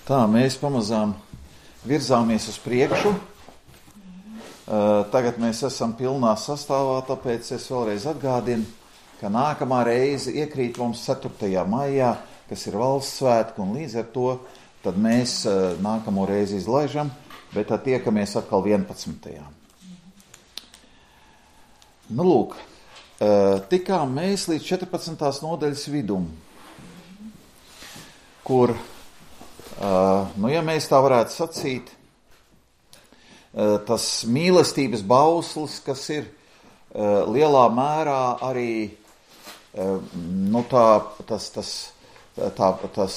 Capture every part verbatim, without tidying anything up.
Tā, mēs pamazām virzāmies uz priekšu. Tagad mēs esam pilnā sastāvā, tāpēc es vēlreiz atgādinu, ka nākamā reize iekrīt mums ceturtajā maijā, kas ir valsts svētki, un līdz ar to tad mēs nākamo reizi izlaižam, bet tad tiekamies atkal vienpadsmitajā Nu, lūk, tikām mēs līdz četrpadsmitās nodaļas vidum, kur, nu, ja mēs tā varētu sacīt, tas mīlestības bauslis, kas ir lielā mērā arī, nu, tā, tas, tas, tā, tas,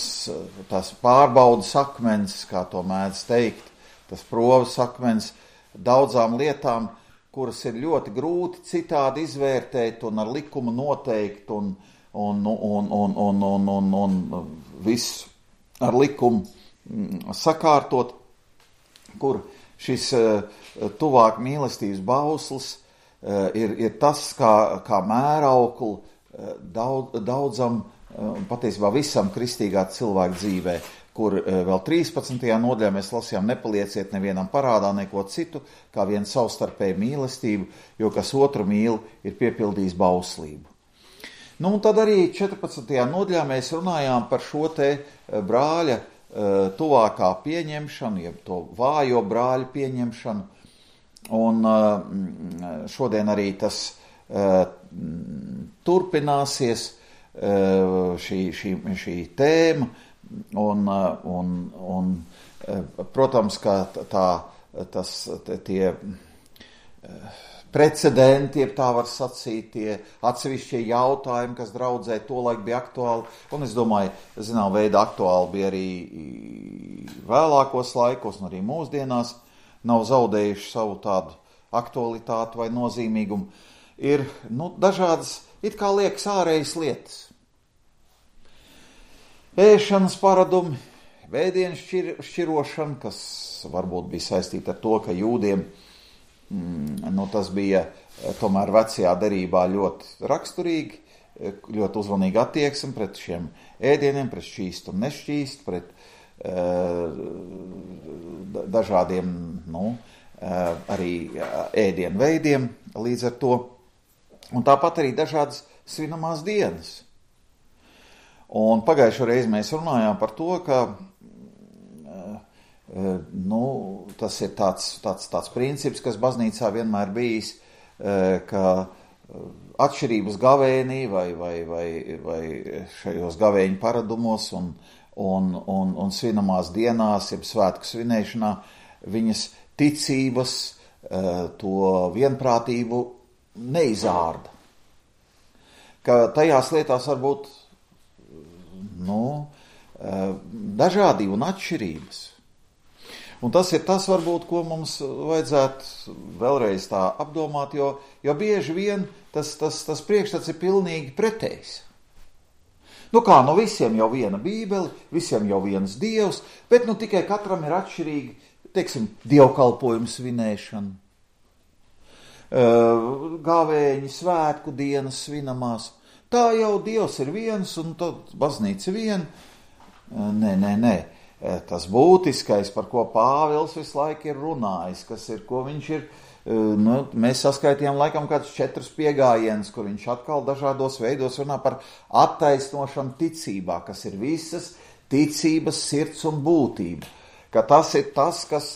tas pārbaudas akmens, kā to mēdz teikt, tas provas akmens daudzām lietām, kuras ir ļoti grūti citādi izvērtēt un ar likumu noteikt un, un, un, un, un, un, un, un visu ar likumu sakārtot, kur šis tuvāk mīlestības bauslis ir, ir tas, kā, kā mēraukli daudz, daudzam, patiesībā visam kristīgā cilvēka dzīvē, kur vēl trīspadsmitajā nodaļā mēs lasījām, nepalieciet nevienam parādā neko citu, kā vien savstarpēju mīlestību, jo kas otru mīl, ir piepildījis bauslību. Nu, un tad arī četrpadsmitajā nodaļā mēs runājām par šo te brāļa tuvākā pieņemšanu, jeb to vājo brāļu pieņemšanu, un šodien arī tas turpināsies, šī, šī, šī tēma, un, un, un protams, ka tā, tas, tie precedenti, ja tā var sacīt, tie atsevišķie jautājumi, kas draudzē tolaik bija aktuāli, un es domāju, zinām, veida aktuāli bija arī vēlākos laikos, un arī mūsdienās nav zaudējuši savu tādu aktualitāti vai nozīmīgumu, ir, nu, dažādas, it kā liekas, ārējas lietas. Ēšanas paradumi, vēdienu šķir, šķirošana, kas varbūt bija saistīta ar to, ka jūdiem Nu, tas bija tomēr vecajā derībā ļoti raksturīgi, ļoti uzmanīgi attieksme pret šiem ēdieniem, pret šķīstu un nešķīstu, pret uh, dažādiem, nu, uh, arī ēdienu veidiem līdz ar to. Un tāpat arī dažādas svinamās dienas. Un pagājušo reizi mēs runājām par to, ka Nu, tas ir tāds, tāds, tāds princips, kas baznīcā vienmēr bijis, ka atšķirības gavēnī vai, vai, vai, vai šajos gavēņu paradumos un, un, un, un svinamās dienās, jeb svētku svinēšanā, viņas ticības, to vienprātību neizārda. Ka tajās lietās var būt, nu, dažādība un atšķirības. Un tas ir tas, varbūt, ko mums vajadzētu vēlreiz tā apdomāt, jo, jo bieži vien tas, tas, tas priekšstats ir pilnīgi pretējs. Nu kā, nu visiem jau viena bībeli, visiem jau viens dievs, bet nu tikai katram ir atšķirīgi, teiksim, dievkalpojumu svinēšana, gavēņi, svētku dienas svinamās. Tā jau dievs ir viens un tad baznīca viena. Nē, nē, nē. Tas būtiskais, par ko Pāvils visu laiku ir runājis, kas ir, ko viņš ir, nu, mēs saskaitījām laikam kādus četrus piegājienus, kur viņš atkal dažādos veidos runā par attaisnošanu ticībā, kas ir visas ticības sirds un būtība. Ka tas ir tas, kas,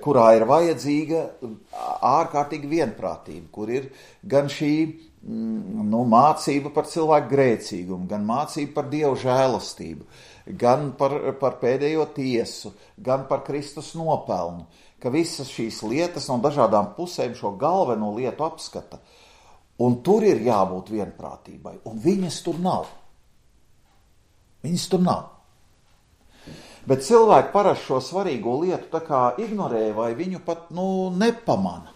kurā ir vajadzīga ārkārtīgi vienprātība, kur ir gan šī, nu, mācība par cilvēku grēcīgumu, gan mācība par Dievu žēlastību, gan par, par pēdējo tiesu, gan par Kristus nopelnu, ka visas šīs lietas no dažādām pusēm šo galveno lietu apskata. Un tur ir jābūt vienprātībai, un viņas tur nav. Viņas tur nav. Bet cilvēki parasti šo svarīgo lietu tā kā ignorē vai viņu pat, nu, nepamana.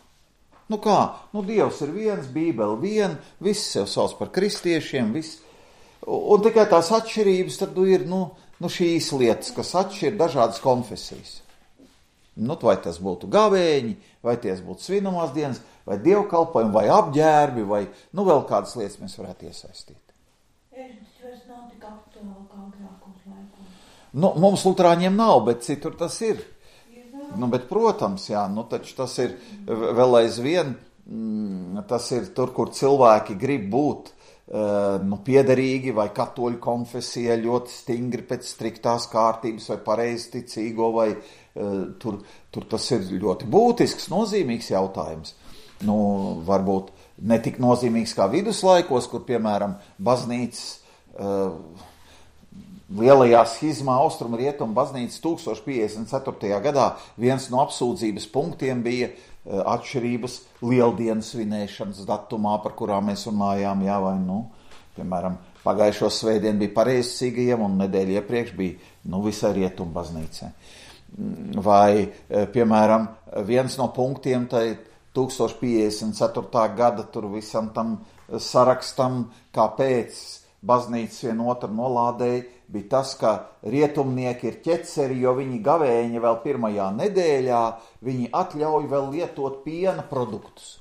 Nu kā, nu Dievs ir viens, Bībele viena, viss sev sauc par kristiešiem, viss. Un tikai tās atšķirības tad ir, nu, nu šīs lietas, kas atšķir dažādas konfesijas. Nu, vai tas būtu gavēņi, vai ties būtu svinamās dienas, vai dievkalpojumi, vai apģērbi, vai, nu, vēl kādas lietas mēs varētu iesaistīt. Ēšanas vairs nav tik aktuāli kā agrākos laikos. Nu, mums luterāņiem nav, bet citur tas ir. Nu, bet, protams, jā, nu, taču tas ir vēl aizvien, mm, tas ir tur, kur cilvēki grib būt uh, nu, piederīgi vai katoļu konfesijai ļoti stingri pēc striktās kārtības vai pareizticīgo, vai uh, tur, tur tas ir ļoti būtisks, nozīmīgs jautājums. Nu, varbūt ne tik nozīmīgs kā viduslaikos, kur, piemēram, baznīcas uh, lielajā schizmā Austrumu Rietumu baznīcas tūkstoš piecdesmit ceturtajā gadā viens no apsūdzības punktiem bija uh, atšķirības lieldienas svinēšanas datumā, par kurām mēs runājām, jā, vai, nu, piemēram, pagājušo svētdienu bija pareizcīgajiem un nedēļu iepriekš bija, nu, visai Rietumu baznīcai. Vai, piemēram, viens no punktiem tai tūkstoš piecdesmit ceturtā gada tur visam tam sarakstam, kāpēc baznīcas vienotru nolādēja, bija tas, ka rietumnieki ir ķeceri, jo viņi gavēņa vēl pirmajā nedēļā, viņi atļauj vēl lietot piena produktus.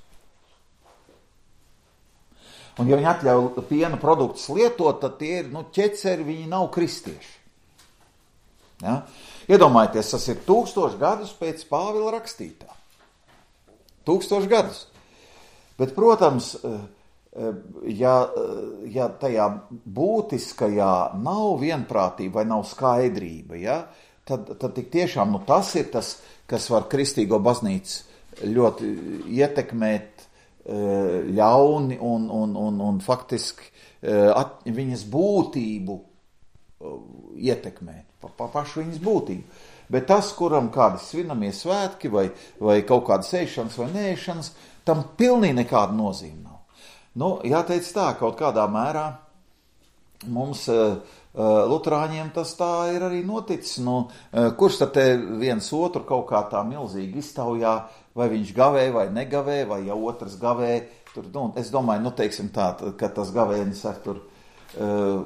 Un ja viņi atļauj piena produktus lietot, tad tie ir, nu, ķeceri, viņi nav kristieši. Ja? Iedomājieties, tas ir tūkstoši gadus pēc Pāvila rakstītā. Tūkstoši gadus. Bet, protams, ja, ja tajā būtiskajā nav vienprātība vai nav skaidrība, ja, tad, tad tik tiešām nu, tas ir tas, kas var kristīgo baznīcu ļoti ietekmēt ļauni un, un, un, un faktiski at, viņas būtību ietekmēt, pa, pa pašu viņas būtību. Bet tas, kuram kādi svinamie svētki vai, vai kaut kādas ēšanas vai neēšanas, tam pilnīgi nekāda nozīme nav. Nu, jāteic tā, kaut kādā mērā mums uh, luterāņiem tas tā ir arī noticis. Nu, uh, kurš tad te viens otru kaut kā tā milzīgi iztaujā, vai viņš gavē vai negavē, vai ja otrs gavē. Tur, nu, es domāju, nu, teiksim tā, ka tas gavēnis ar tur, uh,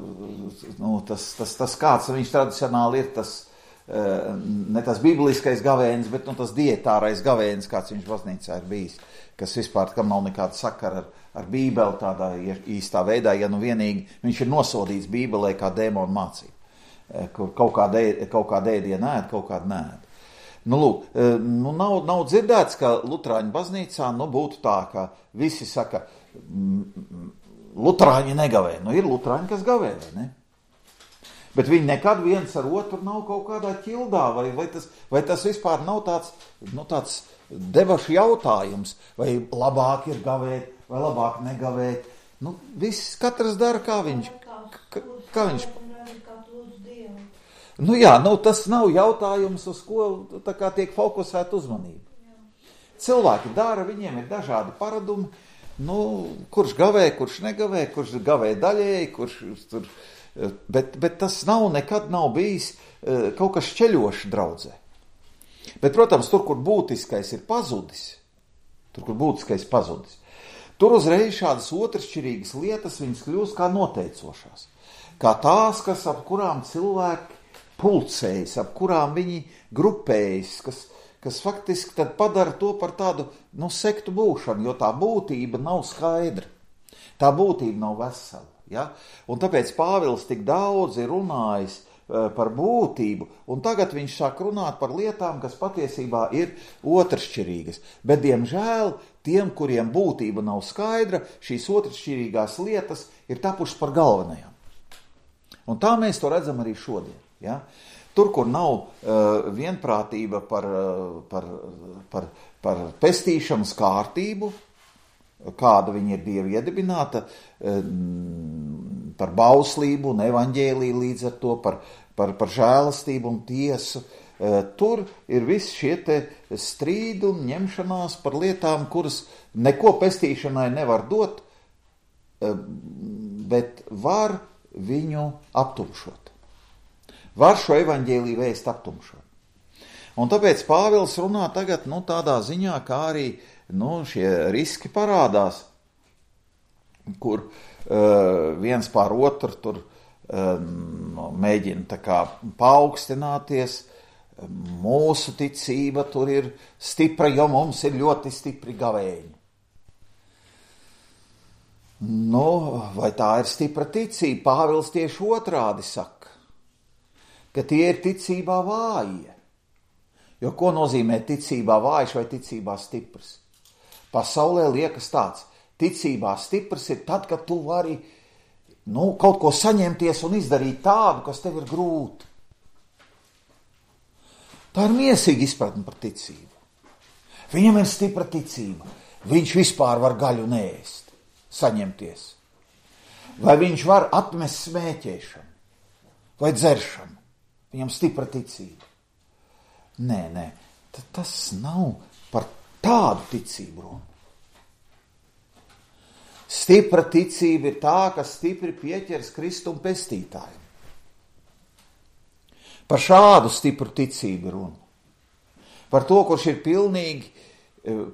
nu, tas, tas, tas kāds viņš tradicionāli ir, tas uh, ne tas bibliskais gavēnis, bet nu, tas dietārais gavēnis, kāds viņš baznīcā ir bijis, kas vispār, kam nav nekāda sakara ar ar Bībeli tādā īstā veidā, ja nu vienīgi viņš ir nosodīts Bībelē kā dēmonu mācību, kur kaut kāda kaut kāda ēdiena ēd, kaut kāda neēd. Nu, lūk, nu, nav, nav dzirdēts, ka luterāņu baznīcā, nu, būtu tā, ka visi saka, luterāņi negavē. Nu, ir luterāņi, kas gavē, vai ne? Bet viņi nekad viens ar otru nav kaut kādā ķildā, vai, vai, tas, vai tas vispār nav tāds, nu, tāds debašu jautājums, vai labāk ir gavēt, vai labāk negavēt. Nu, viss, katrs dara, kā viņš. Kā, kā viņš. Nu jā, nu tas nav jautājums, uz ko tā kā tiek fokusēta uzmanība. Cilvēki dara, viņiem ir dažādi paradumi, nu, kurš gavē, kurš negavē, kurš gavē daļēji, kurš tur, bet, bet tas nav, nekad nav bijis kaut kas šķeļošs draudzē. Bet, protams, tur, kur būtiskais ir pazudis, tur, kur būtiskais pazudis, tur uzreiz šādas otršķirīgas lietas viņas kļūst kā noteicošās. Kā tās, kas ap kurām cilvēki pulcējas, ap kurām viņi grupējas, kas, kas faktiski tad padara to par tādu, nu, sektu būšanu, jo tā būtība nav skaidra. Tā būtība nav vesela. Ja? Un tāpēc Pāvils tik daudz ir runājis par būtību, un tagad viņš sāk runāt par lietām, kas patiesībā ir otršķirīgas. Bet, diemžēl, tiem, kuriem būtība nav skaidra, šīs otršķirīgās lietas ir tapušas par galvenajām. Un tā mēs to redzam arī šodien. Ja? Tur, kur nav uh, vienprātība par, uh, par, par, par pestīšanas kārtību, kāda viņa ir Dieva iedibināta, uh, par bauslību un evaņģēliju līdz ar to, par, par, par žēlastību un tiesu, uh, tur ir visi šie te strīdi un ņemšanās par lietām, kuras neko pestīšanai nevar dot, uh, bet var viņu aptumšot. Var šo evaņģēliju vēst aptumšot. Un tāpēc Pāvils runā tagad, nu, tādā ziņā, kā arī, nu, šie riski parādās, kur uh, viens pār otru tur uh, mēģina tā kā paaugstināties. Mūsu ticība tur ir stipra, jo mums ir ļoti stipri gavēņi. Nu, vai tā ir stipra ticība? Pāvils tieši otrādi saka. ka tie ir ticībā vājie. Jo ko nozīmē ticībā vājš vai ticībā stiprs? Pasaulē liekas tāds, ticībā stiprs ir tad, kad tu vari nu, kaut ko saņemties un izdarīt tādu, kas tev ir grūti. Tā ir miesīga izpratne par ticību. Viņam ir stipra ticība. Viņš vispār var gaļu neēst, saņemties. Vai viņš var atmest smēķēšanu vai dzeršanu. Viņam stipra ticība. Nē, nē, tas nav par tādu ticību runa. Stipra ticība ir tā, kas stipri pieķers Kristum pestītājiem. Par šādu stipru ticību runa. Par to, kurš ir pilnīgi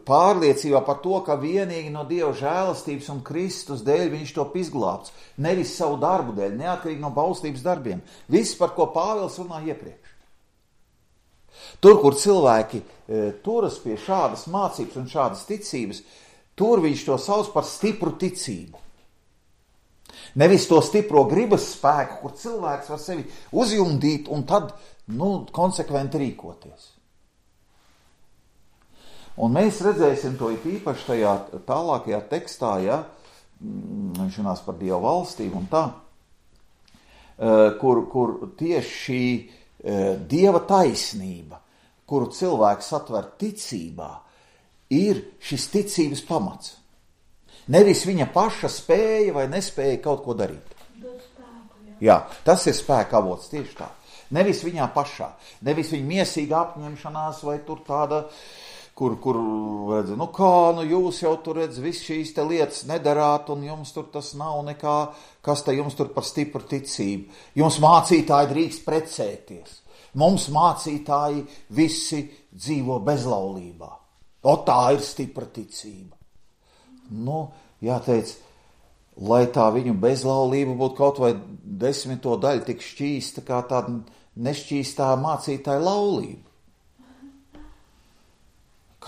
pārliecībā par to, ka vienīgi no Dieva žēlastības un Kristus dēļ viņš top izglābts. Nevis savu darbu dēļ, neatkarīgi no baustības darbiem. Viss, par ko Pāvils runā iepriekš. Tur, kur cilvēki e, turas pie šādas mācības un šādas ticības, tur viņš to sauc par stipru ticību. Nevis to stipro gribas spēku, kur cilvēks var sevi uzjumdīt un tad, nu, konsekventi rīkoties. Un mēs redzēsim to īpaši tajā tālākajā tekstā, ja, viņš runās par Dieva valstīm un tā, kur, kur tieši šī Dieva taisnība, kuru cilvēks atver ticībā, ir šis ticības pamats. Nevis viņa paša spēja vai nespēja kaut ko darīt. Jā, tas ir spēka avots tieši tā. Nevis viņā pašā, nevis viņa miesīga apņemšanās vai tur tāda, kur, kur redz, nu kā, nu jūs jau tur redz, viss šīs te lietas nedarāt un jums tur tas nav nekā, kas te jums tur par stipru ticību. Jums mācītāji drīkst precēties. Mums mācītāji visi dzīvo bezlaulībā. O tā ir stipra ticība. Nu, jāteic, lai tā viņu bezlaulība būtu kaut vai desmito daļu tik šķīsta, kā tāda nešķīstā mācītāja laulība.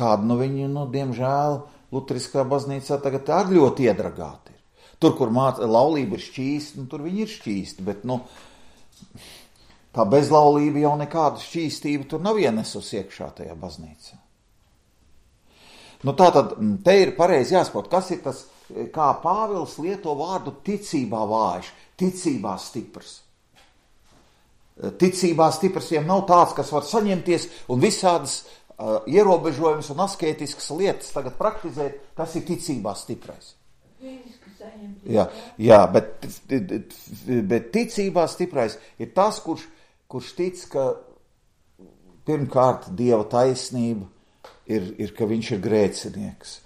Kāda, nu viņi, nu, diemžēl, luteriskā baznīcā tagad ar ļoti iedragāti ir. Tur, kur māc, laulība ir šķīsta, nu, tur viņi ir šķīsti, bet, nu, tā bezlaulība jau nekāda šķīstība tur nav ienesus iekšā tajā baznīcā. Nu, tā tad, te ir pareizi jāsaprot, kas ir tas, kā Pāvils lieto vārdu ticībā vājš, ticībā stiprs. Ticībā stiprs jau nav tāds, kas var saņemties un visādas uh, ierobežojumus un askētiskas lietas tagad praktizēt, tas ir ticībā stiprais. Jā, jā bet, bet ticībā stiprais ir tas, kurš, kurš tic, ka pirmkārt Dieva taisnība ir, ir, ka viņš ir grēcinieks,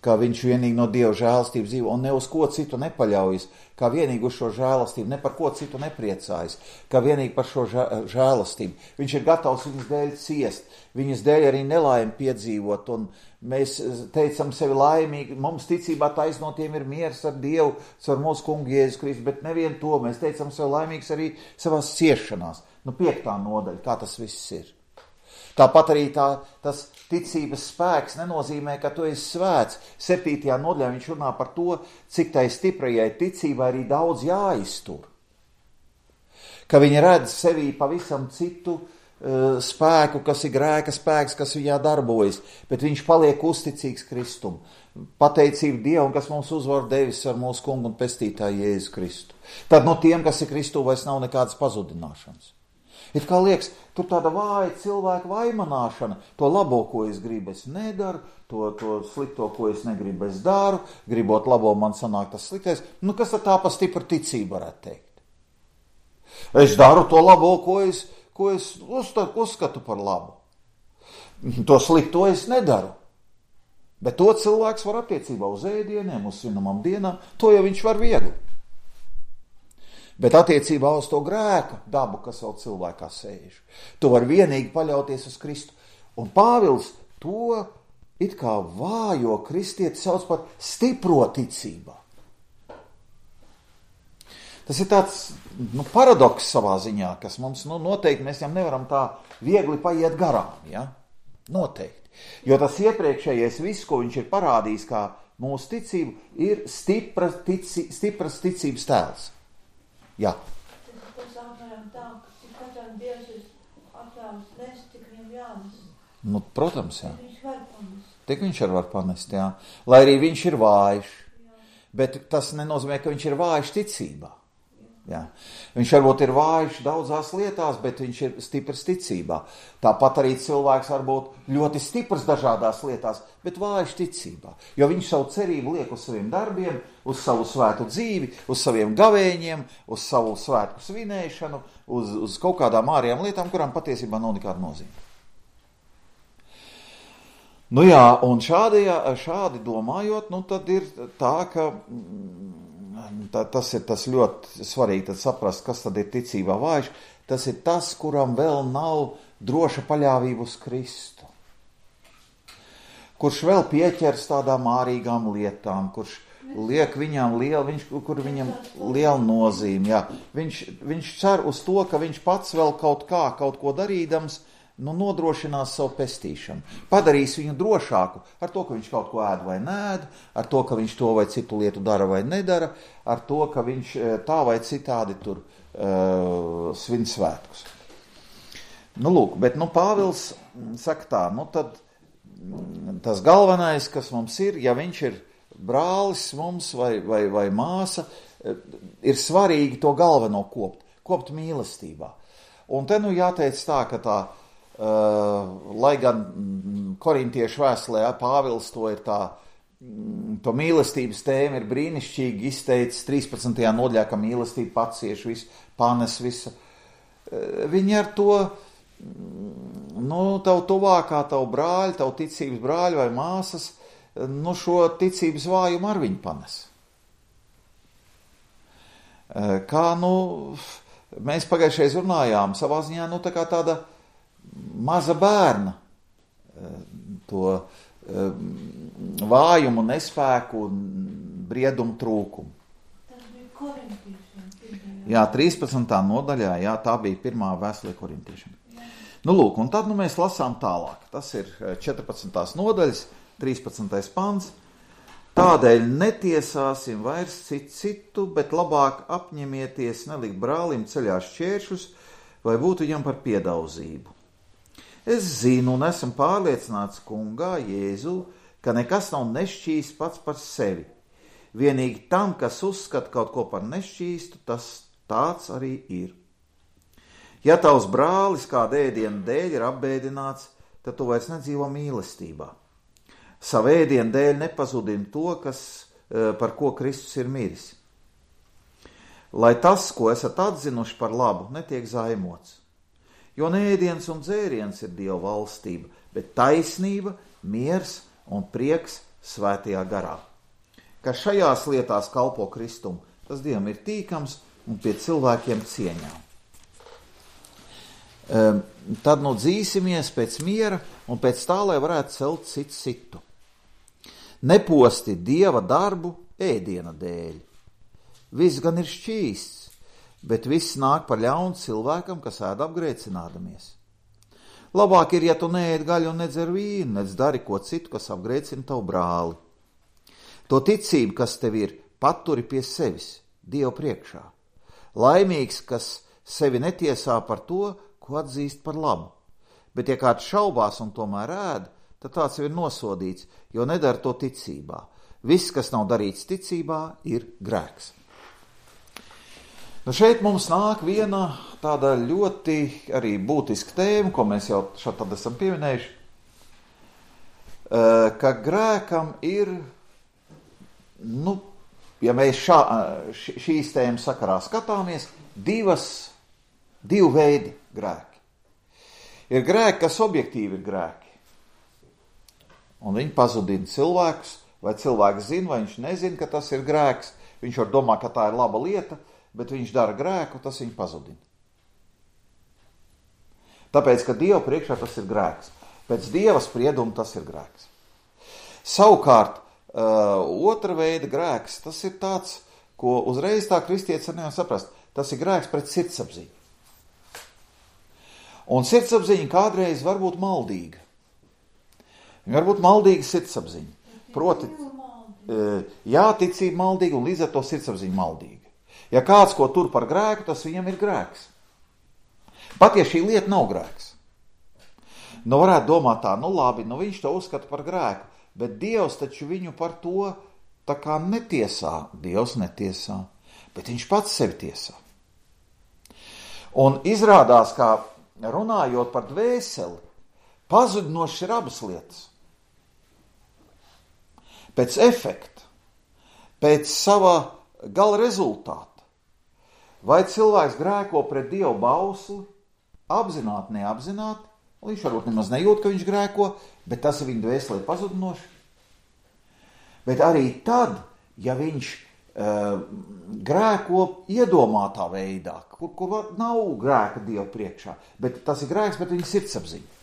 ka viņš vienīgi no Dieva žēlastības dzīvo un ne uz ko citu nepaļaujas, kā vienīgi uz šo žēlastību, ne par ko citu nepriecājas, kā vienīgi par šo žēlastību. Viņš ir gatavs viņas dēļ ciest, viņas dēļ arī nelaimi piedzīvot, un mēs teicam sevi laimīgi, mums ticībā taisnotiem ir miers ar Dievu, ar mūsu kungu Jēzus Kristu, bet nevien to, mēs teicam sevi laimīgs arī savās ciešanās. Nu, piektā nodaļa, kā tas viss ir. Tāpat arī tā, tas ticības spēks nenozīmē, ka tu esi svēts. Septītajā nodaļā viņš runā par to, cik tai stiprajai ticībai arī daudz jāiztur. Ka viņi redz sevī pavisam citu uh, spēku, kas ir grēka spēks, kas viņā darbojas, bet viņš paliek uzticīgs Kristum. Pateicība Dievam, kas mums uzvar devis ar mūsu kungu un pestītāju Jēzu Kristu. Tad no tiem, kas ir Kristū, vairs nav nekādas pazudināšanas. It kā liekas, tur tāda vāja cilvēka vaimanāšana, to labo, ko es gribu, es nedaru, to, to slikto, ko es negribu, es daru, gribot labo, man sanāk tas sliktais. Nu, kas tad tā pa stipra ticība varētu teikt? Es daru to labo, ko es, ko es uzskatu par labu. To slikto es nedaru. Bet to cilvēks var attiecībā uz ēdieniem, uz svinamām dienām, to jau viņš var viegli. Bet attiecībā uz to grēka dabu, kas vēl cilvēkā sēž, tu var vienīgi paļauties uz Kristu. Un Pāvils to it kā vājo kristieti sauc par stipro ticībā. Tas ir tāds nu, paradoks savā ziņā, kas mums nu, noteikti mēs jau nevaram tā viegli paiet garām. Ja? Noteikti. Jo tas iepriekšējais viss, ko viņš ir parādījis kā mūsu ticību, ir stipras, tici, stipras ticības tēls. Jā. Tas apmēram tā, ka katram Dievs ļaus nest, cik viņam jānes. Nu, protams, jā. Viņš var panest. Tik viņš arī var panest, jā. Lai arī viņš ir vājš. Bet tas nenozīmē, ka viņš ir vājš ticībā. Jā. Viņš varbūt ir vājš daudzās lietās, bet viņš ir stiprs ticībā. Tāpat arī cilvēks var būt ļoti stiprs dažādās lietās, bet vājš ticībā. Jo viņš savu cerību liek uz saviem darbiem, uz savu svētu dzīvi, uz saviem gavēņiem, uz savu svētku svinēšanu, uz, uz kaut kādām ārējām lietām, kurām patiesībā nav nekāda nozīme. Nu jā, un šādi, šādi domājot, nu tad ir tā, ka tā, tas ir tas ļoti svarīgi tad saprast, kas tad ir ticībā vājš. Tas ir tas, kuram vēl nav droša paļāvība uz Kristu. Kurš vēl pieķers tādām ārīgām lietām, kurš liek viņam lielu, viņš, kur viņam liela nozīme. Jā. Viņš, viņš cer uz to, ka viņš pats vēl kaut kā, kaut ko darīdams, nu, nodrošinās savu pestīšanu. Padarīs viņu drošāku ar to, ka viņš kaut ko ēd vai nēd, ar to, ka viņš to vai citu lietu dara vai nedara, ar to, ka viņš tā vai citādi tur uh, svin svētkus. Nu, lūk, bet, nu, Pāvils saka tā, nu, tad tas galvenais, kas mums ir, ja viņš ir brālis mums vai, vai, vai māsa, ir svarīgi to galveno kopt, kopt mīlestībā. Un te, nu, jāteic tā, ka tā Uh, lai gan korintiešu vēstulē Pāvils to ir tā, to mīlestības tēma ir brīnišķīgi izteicis trīspadsmitajā nodaļā, ka mīlestība pacieš visu, panes visu. Uh, viņi ar to, nu, tavu tuvākā, tavu brāļu, tavu ticības brāļu vai māsas, nu, šo ticības vājumu ar viņu panes. Uh, kā, nu, mēs pagājušreiz runājām, savā ziņā, nu, tā kā tāda maza bērna to vājumu, nespēku, briedumu trūkumu. Tas bija korintiešiem. Jā, trīspadsmitā nodaļā, jā, tā bija pirmā vēstule korintiešiem. Nu, lūk, un tad nu, mēs lasām tālāk. Tas ir četrpadsmitās nodaļas, trīspadsmitais pants. Tādēļ netiesāsim vairs citu citu, bet labāk apņemieties nelikt brālim ceļā šķēršļus, vai būtu viņam par piedauzību. Es zinu un esmu pārliecināts kungā Jēzu, ka nekas nav nešķīsts pats par sevi. Vienīgi tam, kas uzskata kaut ko par nešķīstu, tas tāds arī ir. Ja tavs brālis kāda ēdiena dēļ ir apbēdināts, tad tu vairs nedzīvo mīlestībā. Savu ēdienu dēļ nepazudini to, kas, par ko Kristus ir miris. Lai tas, ko esat atzinuši par labu, netiek zaimots. Jo ne ēdiens un dzēriens ir Dieva valstība, bet taisnība, miers un prieks svētajā garā. Kas šajās lietās kalpo Kristumu, tas Dievam ir tīkams un pie cilvēkiem cieņām. Um, tad nu dzīsimies pēc miera un pēc tā, lai varētu celt citu citu. Neposti Dieva darbu ēdiena dēļ. Viss gan ir šķīsts, bet viss nāk par ļaunu cilvēkam, kas ēd apgrēcinādamies. Labāk ir, ja tu neēd gaļu un nedzer vīnu, nedz dari ko citu, kas apgrēcina tavu brāli. To ticību, kas tev ir, paturi pie sevis, Dievu priekšā. Laimīgs, kas sevi netiesā par to, ko atzīst par labu. Bet ja kāds šaubās un tomēr ēd, tad tāds jau ir nosodīts, jo nedara to ticībā. Viss, kas nav darīts ticībā, ir grēks. Nu šeit mums nāk viena tāda ļoti arī būtiska tēma, ko mēs jau šeit tad esam pieminējuši, ka grēkam ir, nu, ja mēs šā, šīs tēmas sakarā skatāmies, divas, divu veidi grēki. Ir grēki, kas objektīvi ir grēki, un viņi pazudina cilvēkus, vai cilvēks zina, vai viņš nezina, ka tas ir grēks, viņš var domāt, ka tā ir laba lieta, bet viņš dara grēku, tas viņu pazudina. Tāpēc, ka Dieva priekšā tas ir grēks. Pēc Dieva sprieduma tas ir grēks. Savukārt, uh, otra veida grēks, tas ir tāds, ko uzreiz tā kristietis nevar saprast. Tas ir grēks pret sirdsapziņu. Un sirdsapziņa kādreiz var būt maldīga. Viņa var būt maldīga sirdsapziņa. Proti, uh, jā, ticība maldīga un līdz ar to sirdsapziņa maldīga. Ja kāds ko tur par grēku, tas viņam ir grēks. Pat ja šī lieta nav grēks. Nu varētu domāt tā, nu labi, nu viņš to uzskata par grēku, bet Dievs taču viņu par to tā kā netiesā. Dievs netiesā, bet viņš pats sevi tiesā. Un izrādās, kā runājot par dvēseli, pazudinošas ir abas lietas. Pēc efekta, pēc sava gala rezultāta. Vai cilvēks grēko pret Dievu bausli, apzināti, neapzināti, viņš varbūt nemaz nejūt, ka viņš grēko, bet tas ir viņa dvēselē pazudinoši. Bet arī tad, ja viņš uh, grēko iedomātā veidā, kur, kur nav grēka Dievu priekšā, bet tas ir grēks, bet viņa sirdsapziņa.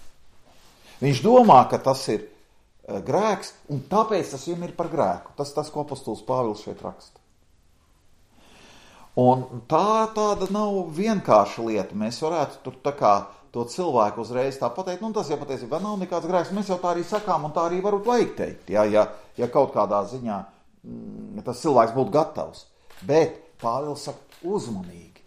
Viņš domā, ka tas ir uh, grēks, un tāpēc tas viņam ir par grēku. Tas tas, ko apostols Pāvils šeit raksta. Un tā tāda nav vienkārša lieta. Mēs varētu tur tā kā to cilvēku uzreiz tā pateikt, nu tas jau patiesībā nav nekāds grēks, mēs jau tā arī sakām, un tā arī varbūt vajag teikt, ja, ja, ja kaut kādā ziņā mm, tas cilvēks būtu gatavs. Bet Pāvils saka uzmanīgi.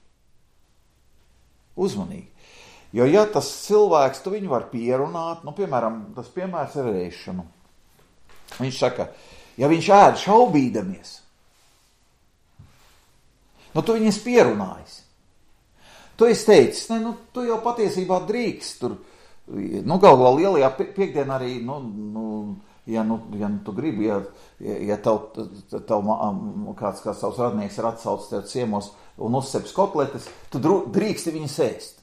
Uzmanīgi. Jo ja tas cilvēks, tu viņu var pierunāt, nu piemēram, tas piemērs ir ēšanu. Viņš saka, ja viņš ēd šaubīdamies, nu tu viņas pierunājis. Tu esi teicis, ne, nu, tu jau patiesībā drīkst tur, nu, galu galā lielajā piekdienā arī, nu, nu, ja, nu, ja nu, tu gribi, ja, ja tev, tev kāds, kāds tavs radnieks ir atsaucis tev ciemos un uzceps kotletes, tu drīksti viņas ēst.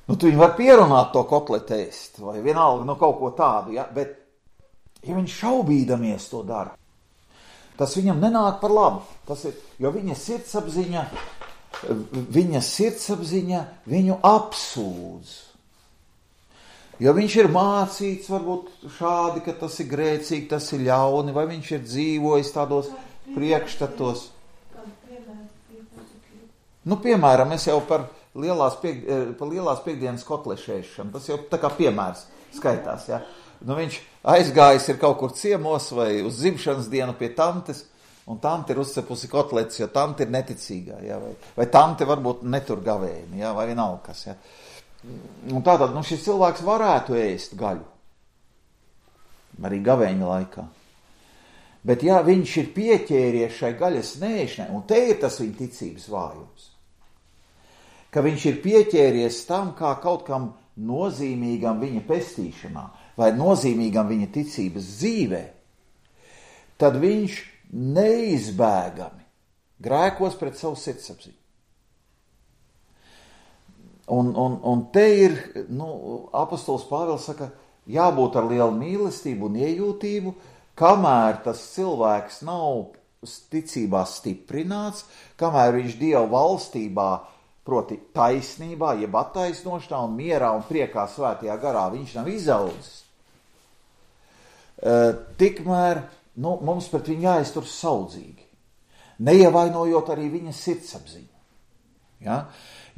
Nu, tu viņu var pierunāt to kotletu ēst, vai vienalga, nu, kaut ko tādu, ja, bet, ja viņš šaubīdamies to dara, tas viņam nenāk par labu, tas ir, jo viņa sirdsapziņa, viņa sirdsapziņa viņu apsūdz. Jo viņš ir mācīts varbūt šādi, ka tas ir grēcīgi, tas ir ļauni, vai viņš ir dzīvojis tādos priekšstatos. Nu, piemēram, es jau par lielās, piek, par lielās piekdienas kotlešēšanu, tas jau tā kā piemērs skaitās, ja. Nu, viņš aizgājis ir kaut kur ciemos vai uz dzimšanas dienu pie tantes, un tante ir uzcepusi kotletes, jo tante ir neticīgā, ja, vai, vai tante varbūt netur gavēni, ja, vai vienalga kas. Ja. Un tātad, nu, šis cilvēks varētu ēst gaļu, arī gavēņa laikā. Bet ja viņš ir pieķēries šai gaļas nēšanai, un te ir tas viņa ticības vājums, ka viņš ir pieķēries tam kā kaut kam nozīmīgam viņa pestīšanā, vai nozīmīgam viņa ticības dzīvē, tad viņš neizbēgami grēkos pret savu sirdsapziņu. Un, un, un te ir, nu, apostols Pāvils saka, jābūt ar lielu mīlestību un iejūtību, kamēr tas cilvēks nav ticībā stiprināts, kamēr viņš Dieva valstībā, proti taisnībā, jeb attaisnošanā un mierā un priekā svētajā garā, viņš nav izaudzis. Uh, tikmēr nu, mums pret viņu jāiztur saudzīgi, neievainojot arī viņa sirdsapziņu. Ja?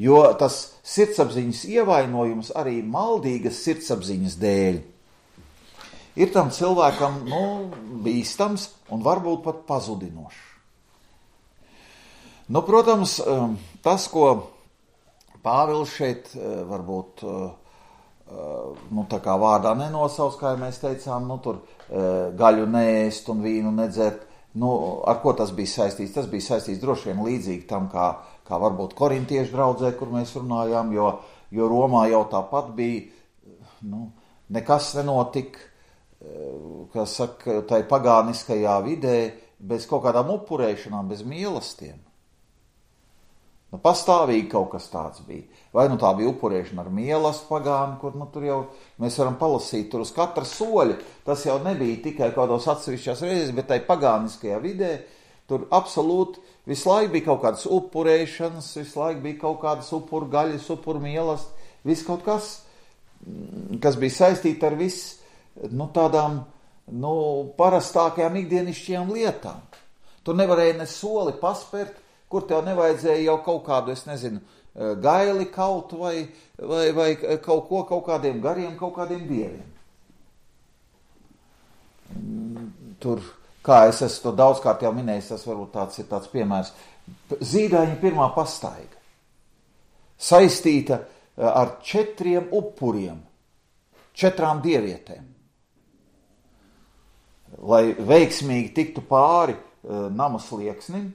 Jo tas sirdsapziņas ievainojums arī maldīgas sirdsapziņas dēļ ir tam cilvēkam nu, bīstams un varbūt pat pazudinošs. Nu, protams, tas, ko Pāvils šeit varbūt nu, tā kā vārdā nenosauc, kā mēs teicām, nu, tur gaļu neēst un vīnu nedzert. Nu, ar ko tas bija saistīts? Tas bija saistīts droši vien līdzīgi tam, kā, kā varbūt korintiešu draudzē, kur mēs runājām, jo, jo Romā jau tāpat bija, nu, nekas nenotika, kas saka, tai pagāniskajā vidē, bez kaut kādām upurēšanām, bez mīlestiem. Nu, pastāvīgi kaut kas tāds bija. Vai nu tā bija upurēšana ar mīlestību pagānu, kur nu, tur jau mēs varam palasīt tur uz katra soļa. Tas jau nebija tikai kādos atsevišķās reizes, bet tai pagāniskajā vidē tur absolūti visu laiku bija kaut kādas upurēšanas, visu laiku bija kaut kādas upuru gaļas, upuru mīlestība, viss kaut kas, kas bija saistīti ar viss, nu, tādām nu, parastākajām ikdienišķajām lietām. Tu nevarēji ne soli paspērt, kur tev nevajadzēja jau kaut kādu, es nezinu, gaili kaut vai, vai, vai kaut ko, kaut kādiem gariem, kaut kādiem dieviem. Tur, kā es esmu to daudzkārt jau minējis, tas varbūt tāds ir tāds piemērs. Zīdaiņa pirmā pastaiga saistīta ar četriem upuriem, četrām dievietēm. Lai veiksmīgi tiktu pāri uh, nama slieksnim,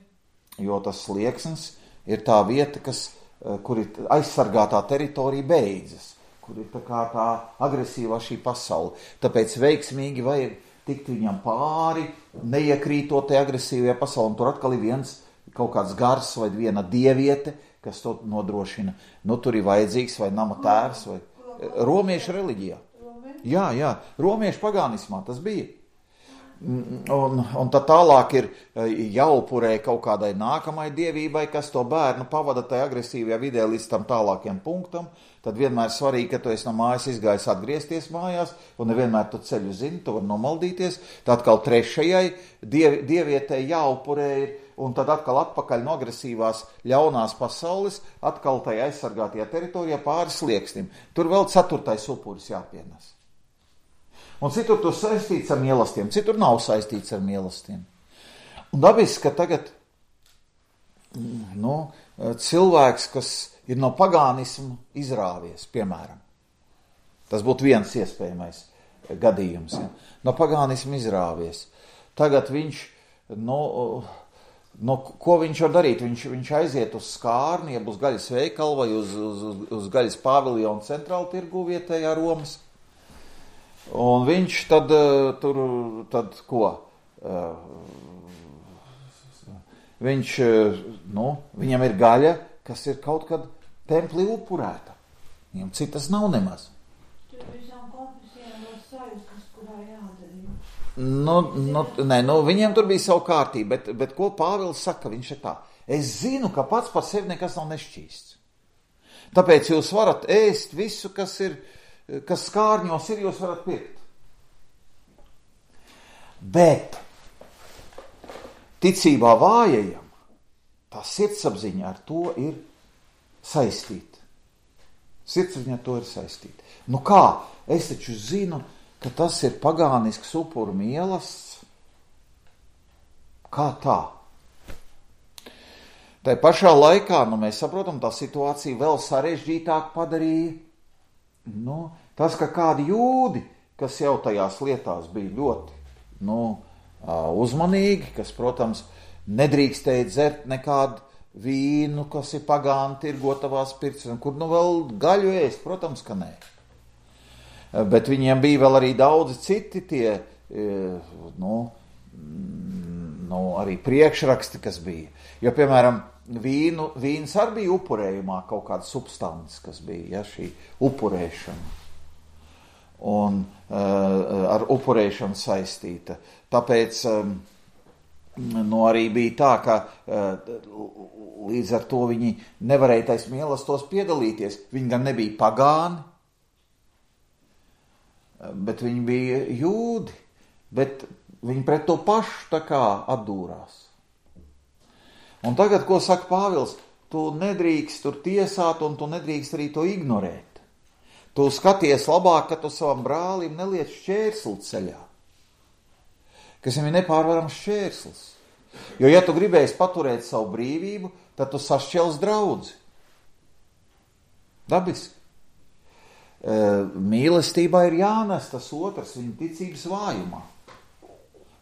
jo tas slieksnis ir tā vieta, kas, uh, kur ir aizsargātā teritorija beidzas, kur ir tā kā tā agresīvā šī pasaule. Tāpēc veiksmīgi vajag tikt viņam pāri, neiekrītot te agresīvajā pasaulē, un tur atkal ir viens kaut kāds gars vai viena dieviete, kas to nodrošina. Nu, tur ir vajadzīgs vai nama tēvs, vai romiešu reliģijā. Jā, jā, romiešu pagānismā tas bija. Un, un tad tālāk ir jāupurē kaut kādai nākamai dievībai, kas to bērnu pavada tajā agresīvajā vidē līdz tam tālākiem punktam. Tad vienmēr svarīgi, ka tu esi no mājas izgājis atgriezties mājās, un nevienmēr tu ceļu zini, tu var nomaldīties. Tad atkal trešajai diev, dievietei jāupurē ir, un tad atkal atpakaļ no agresīvās ļaunās pasaules, atkal tajā aizsargātajā teritorijā pāri slieksnim. Tur vēl ceturtais upuris jāpienes. Un citur tur saistīts ar mīlestiem, citur nav saistīts ar mīlestiem. Un dabiski, ka tagad nu, cilvēks, kas ir no pagānismu izrāvies, piemēram, tas būtu viens iespējamais gadījums, ja? No pagānismu izrāvies. Tagad viņš, nu, nu, ko viņš var darīt? Viņš, viņš aiziet uz skārni, jeb uz gaļas veikalu vai uz, uz, uz gaļas paviljonu centrālu tirgu vietējā Romas. Un viņš tad tur, tad ko? Viņš, nu, viņam ir gaļa, kas ir kaut kad templī upurēta. Viņam citas nav nemaz. Tur visām konfesijām vēl sajūtas, kurā jādarīja. Nu, nu, nē, nu, viņiem tur bija savu kārtību, bet, bet ko Pāvils saka, viņš ir tā. Es zinu, ka pats par sevi nekas nav nešķīsts. Tāpēc jūs varat ēst visu, kas ir, kas skārņos ir, jūs varat pirkt. Bet ticībā vājajam tā sirdsapziņa ar to ir saistīta. Sirdsapziņa ar to ir saistīta. Nu kā? Es taču zinu, ka tas ir pagānisks upuru mīlestības. Kā tā? Tai pašā laikā, nu mēs saprotam, tā situācija vēl sarežģītāk padarīja. Nu, tas, ka kādi jūdi, kas jau tajās lietās bija ļoti nu, uzmanīgi, kas, protams, nedrīkstēja dzert nekādu vīnu, kas ir pagāni tirgotavās pirts, kur nu vēl gaļu ēst, protams, ka nē. Bet viņiem bija vēl arī daudzi citi tie, nu, nu arī priekšraksti, kas bija. Jo, piemēram, vīnu, vīns arī bija upurējumā kaut kāda substance, kas bija, ja, šī upurēšana. Un uh, ar upurēšanu saistīta. Tāpēc um, nu, arī bija tā, ka uh, līdz ar to viņi nevarēja tais mīlestos piedalīties. Viņi gan nebija pagāni, bet viņi bija jūdi, bet viņi pret to pašu tā kā atdūrās. Un tagad, ko saka Pāvils, tu nedrīkst tur tiesāt un tu nedrīkst arī to ignorēt. Tu skaties labāk, ka tu savam brālim neliec šķērsli ceļā, kas viņam ir nepārvarams šķērslis. Jo, ja tu gribēsi paturēt savu brīvību, tad tu sašķels draudzi. Dabiski. Mīlestībā ir jānes tas otrs viņa ticības vājumā.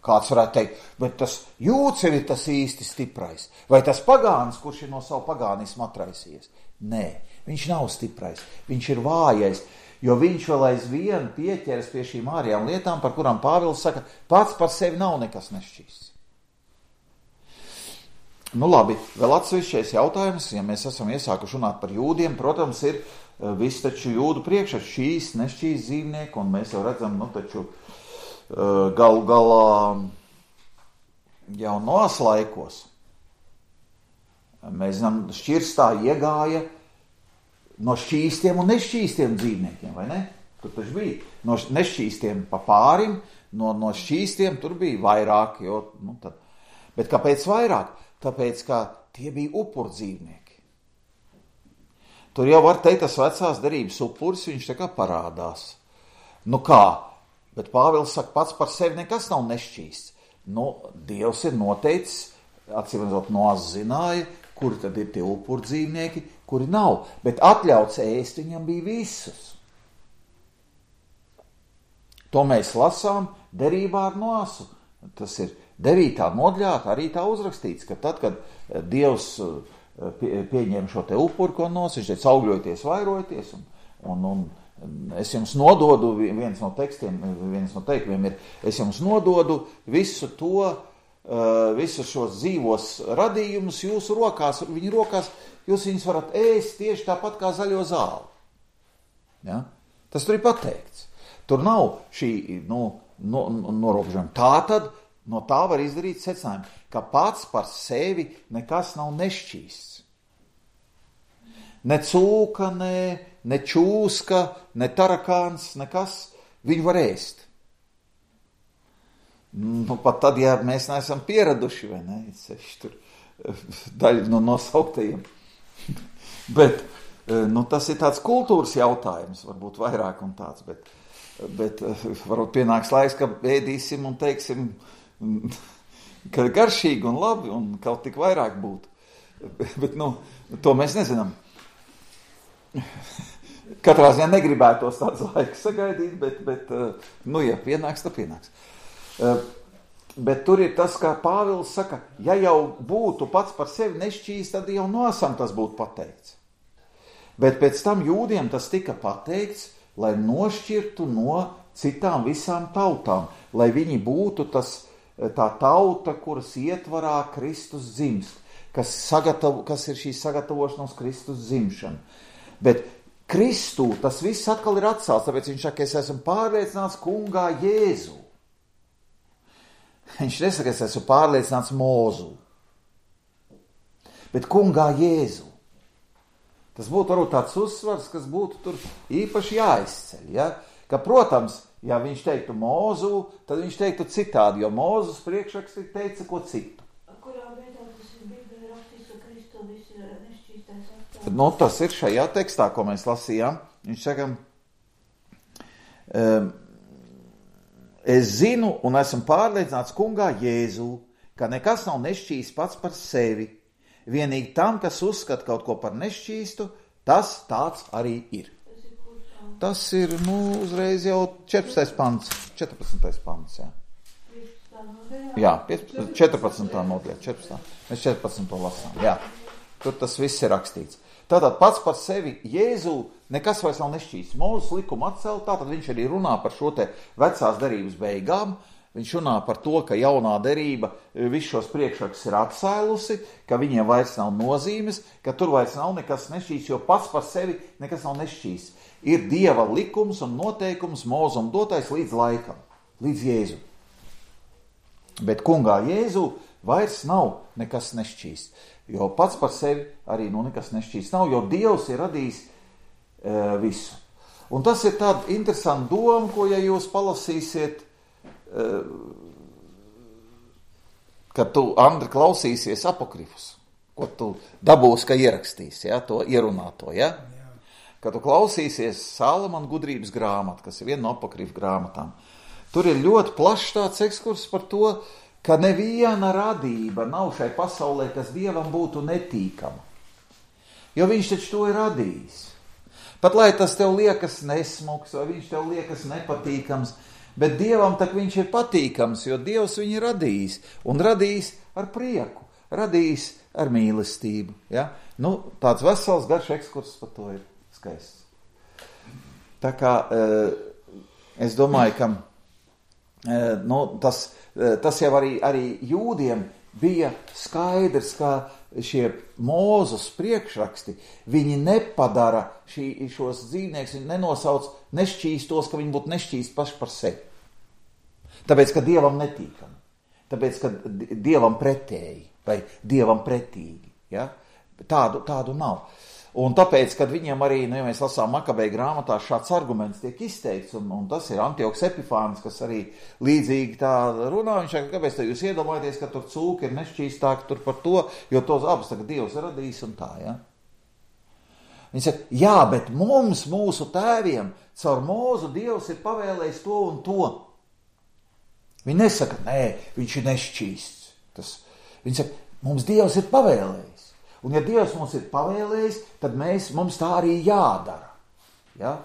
Kāds varētu teikt, bet tas jūds jau ir tas īsti stiprais. Vai tas pagānis, kurš ir no savu pagānismu atraisījies? Nē, viņš nav stiprais, viņš ir vājais, jo viņš vēl aizvien pieķeras pie šīm ārējām lietām, par kurām Pāvils saka, pats par sevi nav nekas nešķīsts. Nu labi, vēl atsevišķais jautājums, ja mēs esam iesākuši runāt par jūdiem, protams, ir viss taču jūdu priekšā šīs nešķīs dzīvnieki, un mēs jau redzam, nu taču galu galā jau nos laikos. Mēs zinām, šķirstā iegāja no šķīstiem un nešķīstiem dzīvniekiem, vai ne? Tur taču bija no nešķīstiem pa pārim, no, no šķīstiem tur bija vairāk, jo, nu tad. Bet kāpēc vairāk? Tāpēc, ka tie bija upur dzīvnieki. Tur jau var teikt, tas vecās derības upuris, viņš tā kā parādās. Nu kā? Bet Pāvils saka, pats par sevi nekas nav nešķīsts. Nu, Dievs ir noteicis, atcīmredzot, Noas zināja, kuri tad ir tie upur dzīvnieki, kuri nav, bet atļauts ēst viņam bija visus. To mēs lasām derībā ar Noasu. Tas ir devītā nodaļā, arī tā uzrakstīts, ka tad, kad Dievs pieņem šo te upuri, ko nos, viņš teica, augļojieties, vairojieties, un, un, un es jums nododu, viens no tekstiem, viens no teikumiem ir, es jums nododu visu to, visus šos dzīvos radījumus jūsu rokās, viņu rokās, jūs viņus varat ēst tieši tāpat kā zaļo zāli. Ja? Tas tur ir pateikts. Tur nav šī nu, no, norobežojuma. Tā tad no tā var izdarīt secinājumu, ka pats par sevi nekas nav nešķīsts. Ne cūka, ne, ne čūska, ne tarakāns, nekas, viņu var ēst. Nu, pat tad, ja mēs neesam pieraduši, vai ne, seši tur daļa no nosauktajiem. Bet, nu, tas ir tāds kultūras jautājums, varbūt vairāk un tāds, bet, bet varbūt pienāks laiks, ka ēdīsim un teiksim, ka garšīgi un labi un kaut tik vairāk būtu. Bet, nu, to mēs nezinām. Katrā ziņā negribētos tāds laiks sagaidīt, bet, bet nu, ja pienāks, tad pienāks. Bet tur ir tas, kā Pāvils saka, ja jau būtu pats par sevi nešķīs, tad jau Noasam tas būtu pateikts. Bet pēc tam jūdiem tas tika pateikts, lai nošķirtu no citām visām tautām, lai viņi būtu tas, tā tauta, kuras ietvarā Kristus dzimst, kas, sagatav, kas ir šī sagatavošanos Kristus dzimšana. Bet Kristū tas viss atkal ir atcelts, tāpēc viņš saka, es esmu pārliecināts kungā Jēzu. Viņš nesaka, es esmu pārliecināts Mūzu, bet kungā Jēzu. Tas būtu varbūt tāds uzsvars, kas būtu tur īpaši jāizceļ. Ja? Ka, protams, ja viņš teiktu Mūzu, tad viņš teiktu citādi, jo Mūzus priekšrakstī teica ko citu. Kurā vietā tas ir Bībelē rakstīts, ka Kristu viss ir nešķīstais atstāvs? Nu, tas ir šajā tekstā, ko mēs lasījām. Viņš saka, um, es zinu un esmu pārliecināts kungā Jēzu, ka nekas nav nešķīsts pats par sevi. Vienīgi tam, kas uzskata kaut ko par nešķīstu, tas tāds arī ir. Tas ir, nu, uzreiz jau četrpadsmitais pants. četrpadsmitais pants, jā. Jā, četrpadsmitā nodaļā, četrpadsmitā. Mēs četrpadsmito lasām, jā. Tur tas viss ir rakstīts. Tātad pats par sevi Jēzu nekas vairs nav nešķīsts. Mūzes likuma atcelt, tātad viņš arī runā par šo te vecās derības beigām. Viņš runā par to, ka jaunā derība visus šos priekšrakstus ir atcēlusi, ka viņiem vairs nav nozīmes, ka tur vairs nav nekas nešķīsts, jo pats par sevi nekas nav nešķīsts. Ir Dieva likums un noteikums Mūzum dotais līdz laikam, līdz Jēzu. Bet kungā Jēzu vairs nav nekas nešķīsts. Jo pats par sevi arī nu, nekas nešķīsts nav, jo Dievs ir radījis e, visu. Un tas ir tāda interesanta doma, ko, ja jūs palasīsiet, e, kad tu, Andri, klausīsies apokrifus, ko tu dabūsi, ka ierakstīsi, ja, to ierunāto, ja? Kad tu klausīsies Salamana gudrības grāmatu, kas ir viena no apokrifu grāmatām, tur ir ļoti plašs tāds ekskurs par to, ka neviena radība nav šai pasaulē, kas Dievam būtu netīkama. Jo viņš taču to ir radījis. Pat lai tas tev liekas nesmuks, vai viņš tev liekas nepatīkams, bet Dievam tak viņš ir patīkams, jo Dievs viņu radījis, un radījis ar prieku, radījis ar mīlestību. Ja? Nu, tāds vesels garš ekskurs par to ir skaists. Tā kā es domāju, ka nu, tas Tas jau arī, arī jūdiem bija skaidrs, ka šie Mūzes priekšraksti, viņi nepadara šī, šos dzīvniekus, viņi nenosauc nešķīstos, ka viņi būtu nešķīsti paši par sevi. Tāpēc, ka Dievam netīkami. Tāpēc, ka Dievam pretēji vai Dievam pretīgi. Ja? Tādu, tādu nav. Un tāpēc, kad viņiem arī, nu, ja mēs lasām Makabeju grāmatā, šāds arguments tiek izteikts, un, un tas ir Antioks Epifāns, kas arī līdzīgi tā runā, viņš saka, kāpēc jūs iedomājaties, ka tur cūka ir nešķīstāka tur par to, jo tos abas tagad Dievs radīs un tā, ja? Viņš saka, jā, bet mums, mūsu tēviem, caur Mūzu Dievs ir pavēlējis to un to. Viņi nesaka, nē, viņš ir nešķīsts. Tas, viņi saka, mums Dievs ir pavēlējis. Un ja Dievs mums ir pavēlējis, tad mēs, mums tā arī jādara. Ja?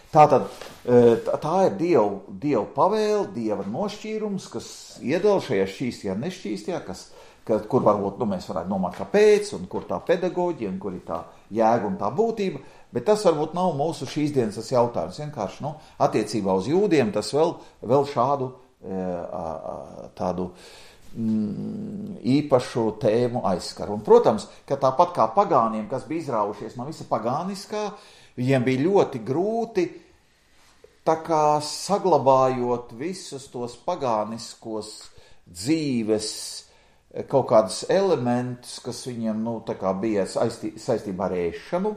Tātad tā ir Dieva, Dieva pavēle, Dieva nošķīrums, kas iedala šajā šķīstajā un nešķīstajā, kas, ka, kur varbūt nu, mēs varētu domāt, kāpēc, un kur tā pedagoģija, un kur ir tā jēga un tā būtība, bet tas varbūt nav mūsu šīs dienas tas jautājums. Vienkārši nu, attiecībā uz jūdiem tas vēl, vēl šādu tādu mm, īpašu tēmu aizskar. Un, protams, ka tāpat kā pagāniem, kas bija izraujušies no visa pagāniskā, viņiem bija ļoti grūti, tā kā saglabājot visus tos pagāniskos dzīves kaut kādus elementus, kas viņiem nu, tā kā bija saistī, saistībā ar ēšanu,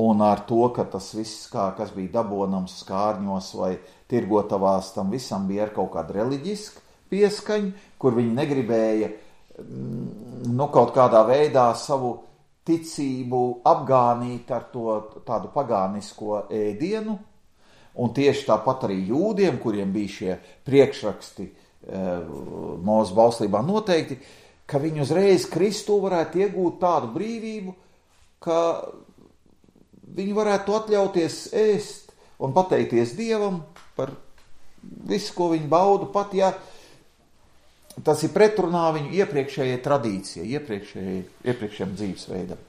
un ar to, ka tas viss, kā, kas bija dabonams skārņos vai tirgotavās, tam visam bija ar kaut kādu reliģisku pieskaņu, kur viņi negribēja nu, kaut kādā veidā savu ticību apgānīt ar to tādu pagānisko ēdienu, un tieši tāpat arī jūdiem, kuriem bija šie priekšraksti e, Mūzes bauslībā noteikti, ka viņi uzreiz Kristū varētu iegūt tādu brīvību, ka viņi varētu atļauties ēst un pateikties Dievam par visu, ko viņi bauda, pat ja tas ir pretrunā viņu iepriekšējai tradīcijai, iepriekšējai, iepriekšējam dzīvesveidam.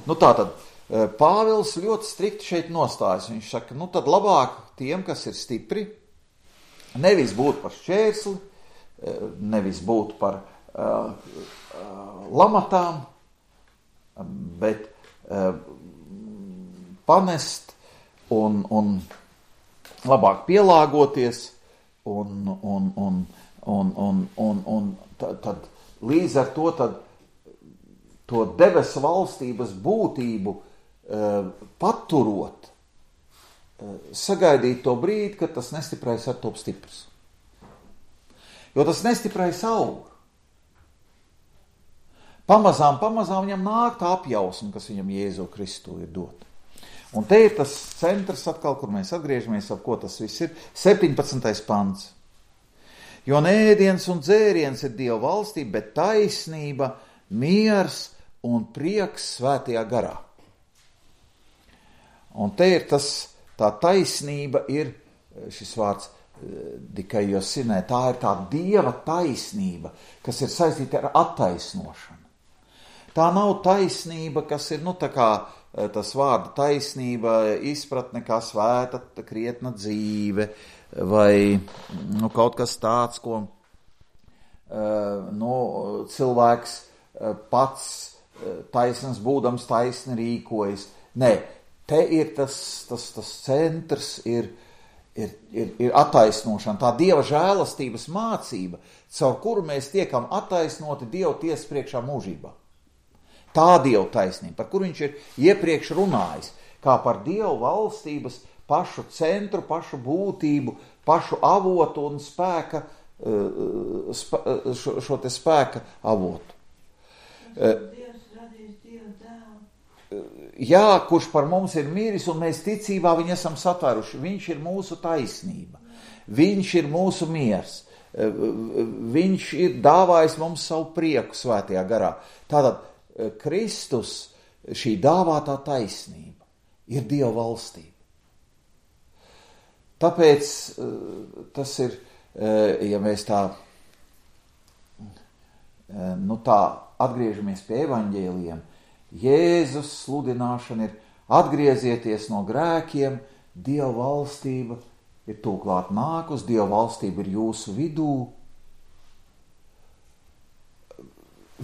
Nu tātad, Pāvils ļoti strikti šeit nostājas. Viņš saka, nu tad labāk tiem, kas ir stipri, nevis būt par šķērsli, nevis būt par uh, uh, lamatām, bet uh, panest un, un labāk pielāgoties un, un, un Un, un, un, un tad, tad līdz ar to tad, to debesu valstības būtību e, paturot, e, sagaidīt to brīdi, kad tas nestiprais ar top stiprs. Jo tas nestiprais aug. Pamazām, pamazām viņam nāk tā apjausma, kas viņam Jēzu Kristu ir dota. Un te ir tas centrs atkal, kur mēs atgriežamies, ap ko tas viss ir, septiņpadsmitais pants. Jo ne ēdiens un dzēriens ir Dieva valstība, bet taisnība, miers un prieks svētajā garā. Un te ir tas, tā taisnība ir, šis vārds dikaios sinē, tā ir tā Dieva taisnība, kas ir saistīta ar attaisnošanu. Tā nav taisnība, kas ir, nu tā kā tas vārda taisnība, izpratne kā svēta, krietna dzīve, vai nu, kaut kas tāds, ko uh, nu, cilvēks uh, pats uh, taisnams būdams taisni rīkojas. Nē, te ir tas, tas, tas centrs, ir, ir, ir, ir attaisnošana, tā Dieva žēlastības mācība, caur kuru mēs tiekam attaisnoti Dieva tiesas priekšā mūžībā. Tā Dieva taisnība, par kuru viņš ir iepriekš runājis, kā par Dieva valstības pašu centru, pašu būtību, pašu avotu un spēka, spē, šo, šo te spēka avotu. Dievs radījis Dievu dēlu. Jā, kurš par mums ir miris un mēs ticībā viņu esam satvēruši. Viņš ir mūsu taisnība. Viņš ir mūsu miers. Viņš ir dāvājis mums savu prieku svētajā garā. Tātad Kristus, šī dāvātā taisnība, ir Dieva valstība. Tāpēc tas ir, ja mēs tā, nu tā atgriežamies pie evaņģēlijiem, Jēzus sludināšana ir atgriezieties no grēkiem, Dieva valstība ir tūklāt nākus, Dieva valstība ir jūsu vidū.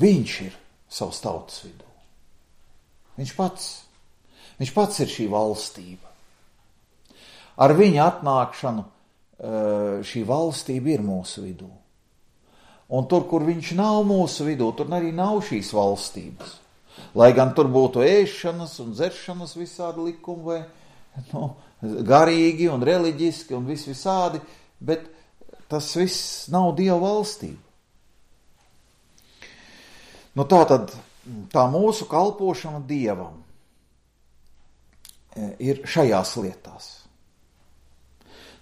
Viņš ir savas tautas vidū. Viņš pats, viņš pats ir šī valstība. Ar viņa atnākšanu šī valstība ir mūsu vidū. Un tur, kur viņš nav mūsu vidū, tur arī nav šīs valstības. Lai gan tur būtu ēšanas un dzeršanas visādi likumi, vai nu, garīgi un reliģiski un vis visādi, bet tas viss nav Dieva valstība. Nu tā tad, tā mūsu kalpošana Dievam ir šajās lietās.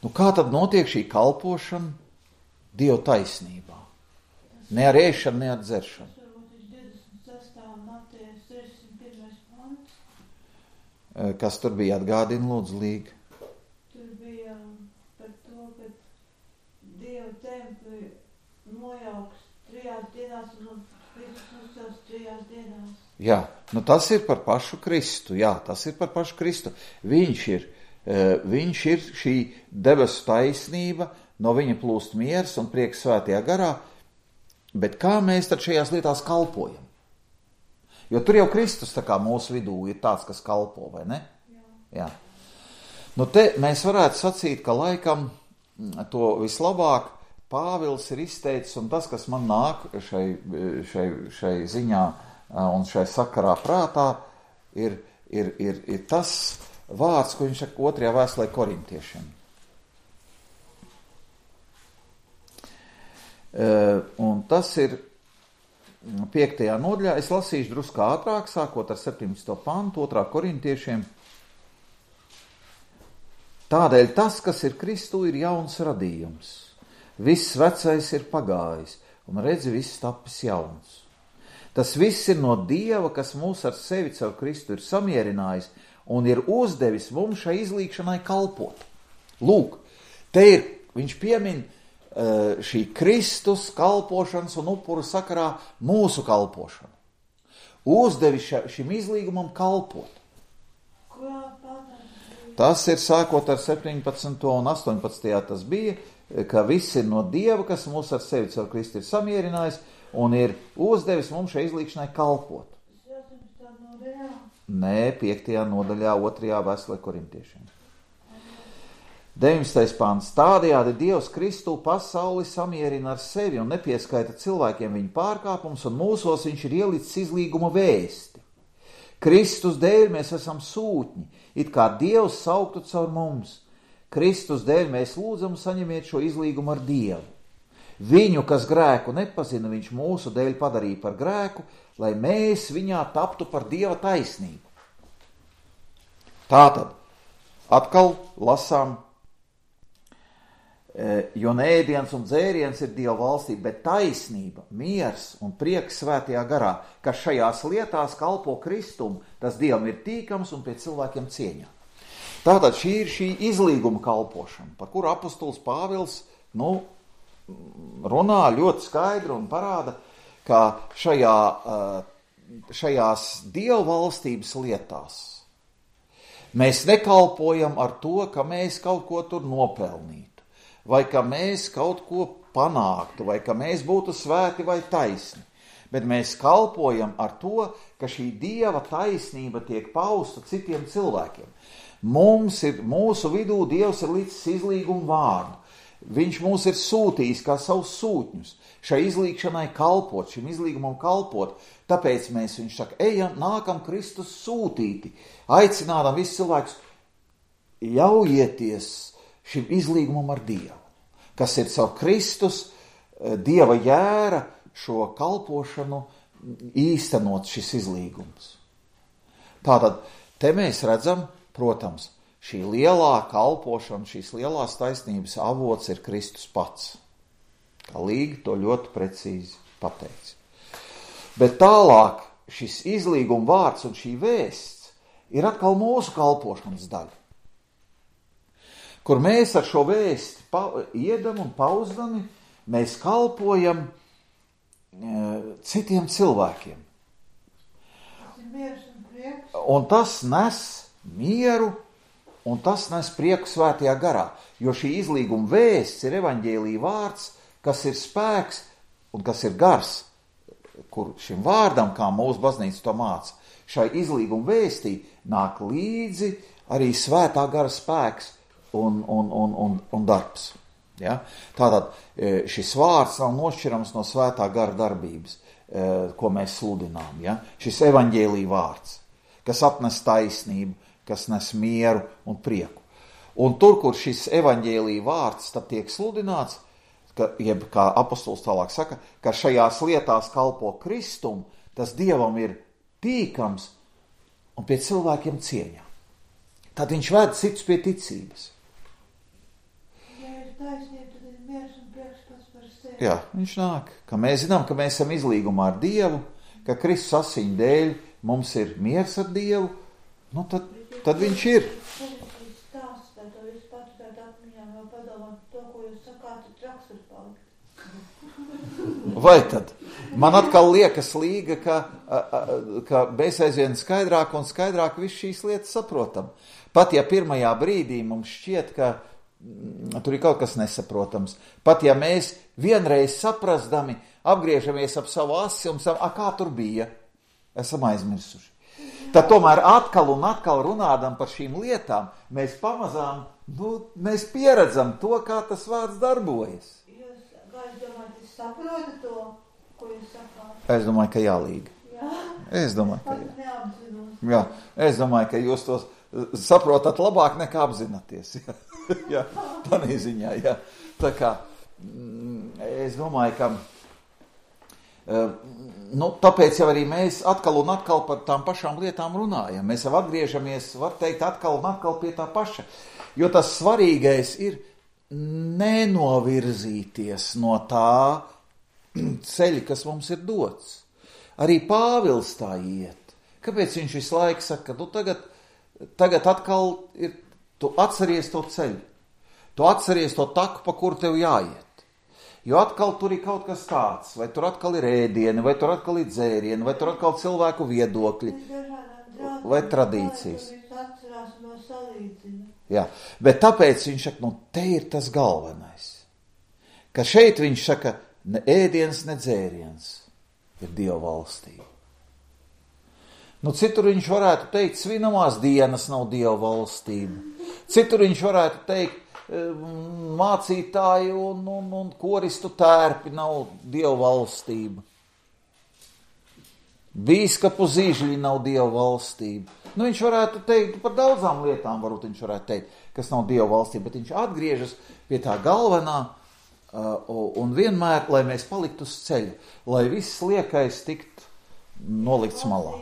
Nu, kā tad notiek šī kalpošana Dieva taisnībā? Ne ar ēšanu, ne ar dzeršanu. Tas varbūt ir divdesmit Kas tur bija? Atgādina, lūdzu, Līga. Tur bija par to, ka Dieva templi nojauks trijās dienās un Kristus uzcels trijās dienās. Jā, nu tas ir par pašu Kristu, jā, tas ir par pašu Kristu. Viņš ir, viņš ir šī debesu taisnība, no viņa plūst miers un prieks svētajā garā, bet kā mēs tad šajās lietās kalpojam? Jo tur jau Kristus tā kā mūsu vidū ir tāds, kas kalpo, vai ne? Jā. Jā. Nu te mēs varētu sacīt, ka laikam to vislabāk Pāvils ir izteicis, un tas, kas man nāk šai, šai, šai ziņā un šai sakarā prātā, ir, ir, ir, ir tas vārds, ko viņš saka otrajā vēstulē korintiešiem. Un tas ir piektajā nodaļā. Es lasīšu drusku ātrāk, sākot ar septiņpadsmito pantu, otrā korintiešiem. Tādēļ tas, kas ir Kristū, ir jauns radījums. Viss vecais ir pagājis, un redzi, viss tapis jauns. Tas viss ir no Dieva, kas mūs ar sevi caur Kristu ir samierinājis un ir uzdevis mums šai izlīgšanai kalpot. Lūk, te ir, viņš piemin šī Kristus kalpošanas un upuru sakarā mūsu kalpošanu. Uzdevis šim izlīgumam kalpot. Tas ir sākot ar septiņpadsmito un astoņpadsmitajā tas bija, ka viss ir no Dieva, kas mūs ar sevi caur Kristu ir samierinājis un ir uzdevis mums šai izlīgšanai kalpot. Nē, piektajā nodaļā, otrajā vēstulē korintiešiem. deviņdesmitais pants. Tādējādi Dievs Kristu pasauli samierina ar sevi un nepieskaita cilvēkiem viņu pārkāpumus, un mūsos viņš ir ielicis izlīguma vēsti. Kristus dēļ mēs esam sūtņi, it kā Dievs sauktu caur mums. Kristus dēļ mēs lūdzam saņemiet šo izlīgumu ar Dievu. Viņu, kas grēku nepazina, viņš mūsu dēļ padarīja par grēku, lai mēs viņā taptu par Dieva taisnību. Tātad, atkal lasām, jo ne ēdiens un dzēriens ir Dieva valstī, bet taisnība, miers un prieks svētajā garā, kas šajās lietās kalpo Kristum, tas Dievam ir tīkams un pie cilvēkiem cieņā. Tātad šī ir šī izlīguma kalpošana, par kuru apostols Pāvils, nu, runā ļoti skaidri un parāda, ka šajā, šajās Dieva valstības lietās mēs nekalpojam ar to, ka mēs kaut ko tur nopelnītu, vai ka mēs kaut ko panāktu, vai ka mēs būtu svēti vai taisni, bet mēs kalpojam ar to, ka šī Dieva taisnība tiek pausta citiem cilvēkiem. Mums ir, mūsu vidū Dievs ir licis izlīgumu vārdu. Viņš mūs ir sūtījis kā savus sūtņus, šai izlīgšanai kalpot, šim izlīgumam kalpot, tāpēc mēs, viņš saka, ejam, nākam Kristus sūtīti, aicinādam visus cilvēkus, ļaujieties šim izlīgumam ar Dievu, kas ir savu Kristus, Dieva jēra, šo kalpošanu īstenot šis izlīgums. Tātad, te mēs redzam, protams, šī lielā kalpošana, šīs lielās taisnības avots ir Kristus pats. Kā Līga to ļoti precīzi pateica. Bet tālāk šis izlīguma vārds un šī vēsts ir atkal mūsu kalpošanas daļa, kur mēs ar šo vēsti pa, iedam un pauzdami, mēs kalpojam e, citiem cilvēkiem. Un tas nes mieru, un tas nes prieku svētajā garā, jo šī izlīguma vēsts ir evaņģēlija vārds, kas ir spēks un kas ir gars, kur šim vārdam, kā mūsu baznīca to māca, šai izlīguma vēstī nāk līdzi arī svētā gara spēks un, un, un, un, un darbs. Ja? Tātad šis vārds nav nošķirams no svētā gara darbības, ko mēs sludinām. Ja? Šis evaņģēlija vārds, kas atnes taisnību, kas nes mieru un prieku. Un tur, kur šis evaņģēlija vārds tad tiek sludināts, ka, jeb kā apostols tālāk saka, ka šajās lietās kalpo Kristum, tas Dievam ir tīkams un pie cilvēkiem cieņā. Tad viņš ved citus pie ticības. Ja ir taisnība, tad ir miers un prieks pats par sevi. Jā, viņš nāk, ka mēs zinām, ka mēs esam izlīgumā ar Dievu, ka Kristus asiņu dēļ mums ir miers ar Dievu, nu tad tad viņš ir. Vai tad? Man atkal liekas līga, ka, ka mēs aizvien skaidrāk un skaidrāk visu šīs lietas saprotam. Pat ja pirmajā brīdī mums šķiet, ka tur ir kaut kas nesaprotams, pat ja mēs vienreiz saprastami apgriežamies ap savu asi un savu, a, kā tur bija, esam aizmirsuši. Tad tomēr atkal un atkal runādam par šīm lietām, mēs pamazām, nu, mēs pieredzam to, kā tas vārds darbojas. Jūs, kā es domāju, jūs saprotat to, ko jūs sakāt? Es domāju, ka jālīga. Jā. Es domāju, ka jā. Neapzinos. Jā. Es domāju, ka jūs tos saprotat labāk nekā apzināties. Jā, jā. Tādā ziņā, jā. Tā kā, es domāju, ka nu, tāpēc jau arī mēs atkal un atkal par tām pašām lietām runājam. Mēs jau atgriežamies, var teikt, atkal un atkal pie tā paša. Jo tas svarīgais ir nenovirzīties no tā ceļa, kas mums ir dots. Arī Pāvils tā iet. Kāpēc viņš visu laiku saka, ka tu tagad, tagad atkal ir, tu atceries to ceļu. Tu atceries to taku, pa kuru tev jāiet. Jo atkal tur ir kaut kas tāds, vai tur atkal ir ēdieni, vai tur atkal ir dzērieni, vai tur atkal cilvēku viedokļi, vai tradīcijas. Jā, bet tāpēc viņš saka, nu te ir tas galvenais. Ka šeit viņš saka, ne ēdiens, ne dzēriens ir Dieva valstība. Nu citur viņš varētu teikt, svinamās dienas nav Dieva valstība. Citur viņš varētu teikt, mācītāju un, un, un koristu tērpi nav Dieva valstība. Bīskapu zīžļi nav Dieva valstība. Nu, viņš varētu teikt, par daudzām lietām varbūt viņš varētu teikt, kas nav Dieva valstība, bet viņš atgriežas pie tā galvenā uh, un vienmēr, lai mēs paliktu uz ceļa, lai viss liekais tikt nolikts malā.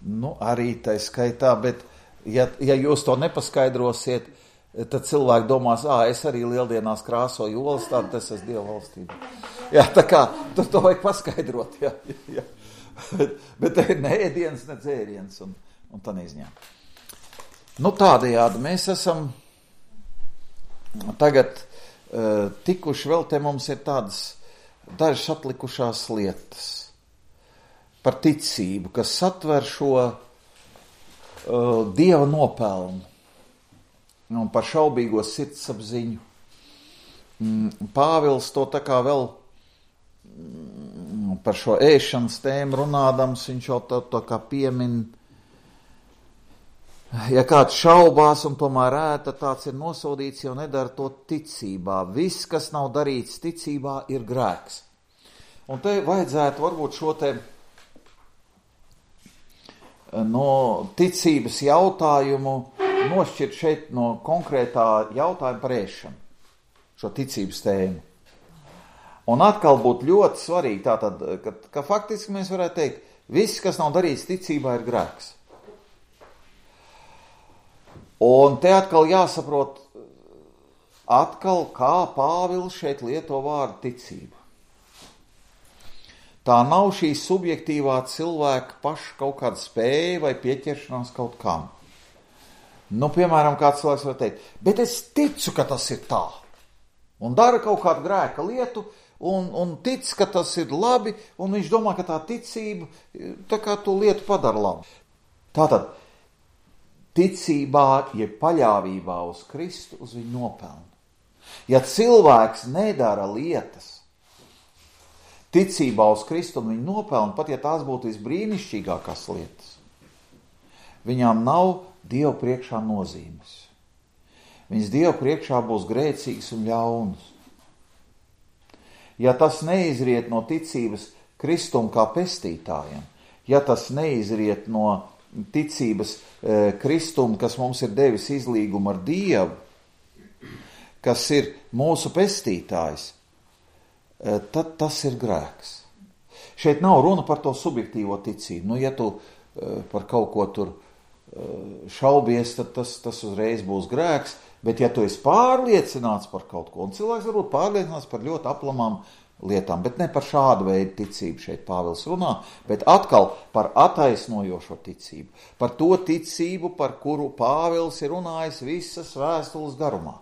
Nu, arī tā skaitā, bet Ja, ja jūs to nepaskaidrosiet, tad cilvēki domās, ā, es arī lieldienās krāsoju olas, tad tas esmu Dieva valstība. Jā, tā kā, tur to vajag paskaidrot, jā, jā. Bet, bet te ir ne ēdiens, ne dzēriens, un, un tā neizņem. Nu, tādējādi mēs esam tagad uh, tikuši, vēl te mums ir tādas dažas atlikušās lietas par ticību, kas satver šo Dieva nopelnu un par šaubīgo sirdsapziņu. Pāvils to tā kā vēl par šo ēšanas tēmu runādams, viņš jau tā, tā kā piemin, ja kāds šaubās un tomēr ēta, tāds ir nosodīts, jo nedara to ticībā. Viss, kas nav darīts ticībā, ir grēks. Un te vajadzētu varbūt šo te no ticības jautājumu nošķirt šeit no konkrētā jautājuma par ēšanu, šo ticības tēmu. Un atkal būtu ļoti svarīgi tātad, ka, ka faktiski mēs varētu teikt, viss, kas nav darīts ticībā, ir grēks. Un te atkal jāsaprot, atkal kā Pāvils šeit lieto vārdu ticība. Tā nav šī subjektīvā cilvēka paša kaut kāda spēja vai pieķeršanās kaut kam. Nu, piemēram, kāds cilvēks var teikt, bet es ticu, ka tas ir tā. Un dara kaut kādu grēka lietu, un, un tic, ka tas ir labi, un viņš domā, ka tā ticība tā kā to lietu padara labi. Tātad, ticībā, ja paļāvībā uz Kristu, uz viņu nopelnu. Ja cilvēks nedara lietas, ticībā uz Kristu un viņu nopelnu, pat ja tās būtu visbrīnišķīgākās lietas, viņām nav Dieva priekšā nozīmes. Viņas Dieva priekšā būs grēcīgas un ļaunas. Ja tas neizriet no ticības Kristum kā pestītājam, ja tas neizriet no ticības e, Kristum, kas mums ir devis izlīgumu ar Dievu, kas ir mūsu pestītājs, tad tas ir grēks. Šeit nav runa par to subjektīvo ticību. Nu, ja tu par kaut ko tur šaubies, tad tas, tas uzreiz būs grēks, bet ja tu esi pārliecināts par kaut ko, un cilvēks varbūt pārliecināts par ļoti aplamām lietām, bet ne par šādu veidu ticību šeit Pāvils runā, bet atkal par attaisnojošo ticību, par to ticību, par kuru Pāvils ir runājis visas vēstules garumā.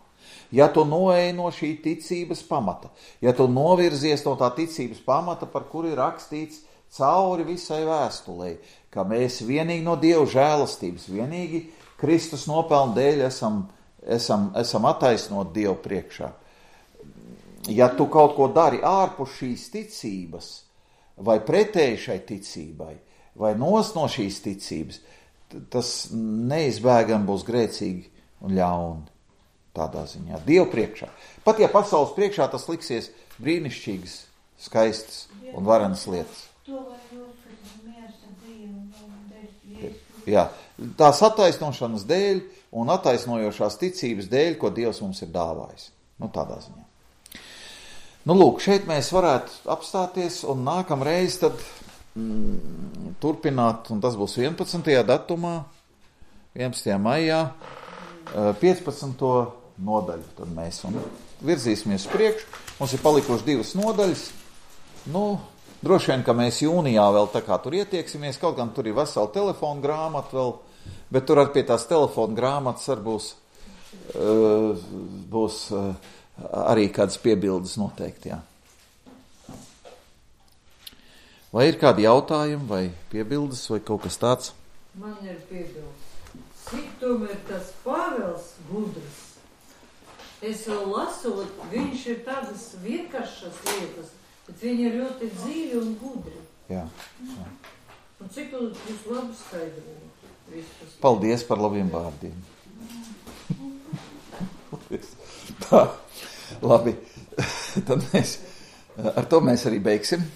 Ja tu noej no šī ticības pamata, ja tu novirzies no tā ticības pamata, par kuru ir rakstīts cauri visai vēstulei, ka mēs vienīgi no Dieva žēlastības, vienīgi Kristus nopelnu dēļ esam, esam, esam attaisnoti Dievu priekšā. Ja tu kaut ko dari ārpus šīs ticības, vai pretēji šai ticībai, vai nos no šīs ticības, tas neizbēgami būs grēcīgi un ļauni. Tādā ziņā. Dievu priekšā. Pat ja pasaules priekšā tas liksies brīnišķīgas, skaistas un varenas lietas. Jā, tās attaisnošanas dēļ un attaisnojošās ticības dēļ, ko Dievs mums ir dāvājis. Nu, tādā ziņā. Nu, lūk, šeit mēs varētu apstāties un nākamreiz tad mm, turpināt, un tas būs vienpadsmitajā datumā, vienpadsmitajā maijā, piecpadsmito nodaļu. Tad mēs un virzīsimies priekšu. Mums ir palikuši divas nodaļas. Nu, droši vien, ka mēs jūnijā vēl tā kā tur ietieksimies, kaut gan tur ir vesela telefona grāmata vēl, bet tur ar pie tās telefona grāmatas arī būs, uh, būs uh, arī kādas piebildes noteikti, jā. Vai ir kādi jautājumi vai piebildes vai kaut kas tāds? Man ir piebildes. Cik tomēr tas Pāvils gudrs? Es vēl lasot, viņš ir tādas vienkāršas lietas, bet viņi ir ļoti dzīvi un gudri. Jā, jā. Un cik jūs labi skaidrojat? Paldies par labiem vārdiem. Tā, labi. Tad mēs, ar to mēs arī beigsim.